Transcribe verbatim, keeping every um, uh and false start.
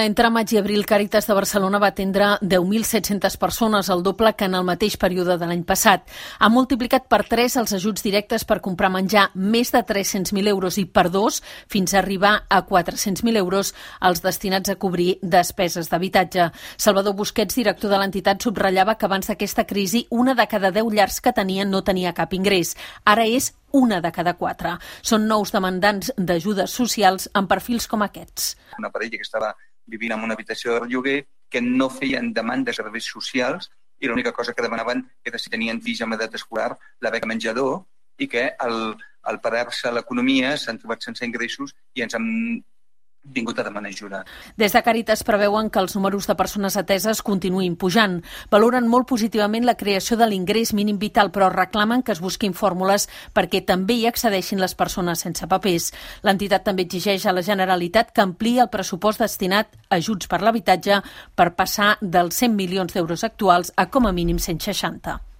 Entre maig i abril, Càritas de Barcelona va atendre deu mil set-centes persones, el doble que en el mateix període de l'any passat. Ha multiplicat per tres els ajuts directes per comprar menjar, més de tres-cents mil euros, i per dos, fins a arribar a quatre-cents mil euros, els destinats a cobrir despeses d'habitatge. Salvador Busquets, director de l'entitat, subratllava que abans d'aquesta crisi, una de cada deu llars que tenien no tenia cap ingrés. Ara és una de cada quatre. Són nous demandants d'ajudes socials amb perfils com aquests. Una parella que estava vivint en una habitació de lloguer, que no feien demanda de serveis socials i l'única cosa que demanaven era si tenien fills amb edat escolar, la beca menjador, i que al, al parar-se l'economia s'han trobat sense ingressos i ens han vingut a demanar ajuda. Des de Càritas preveuen que els números de persones ateses continuïn pujant. Valoren molt positivament la creació de l'ingrés mínim vital, però reclamen que es busquin fórmules perquè també hi accedeixin les persones sense papers. L'entitat també exigeix a la Generalitat que ampliï el pressupost destinat a ajuts per l'habitatge per passar dels cent milions d'euros actuals a com a mínim cent seixanta.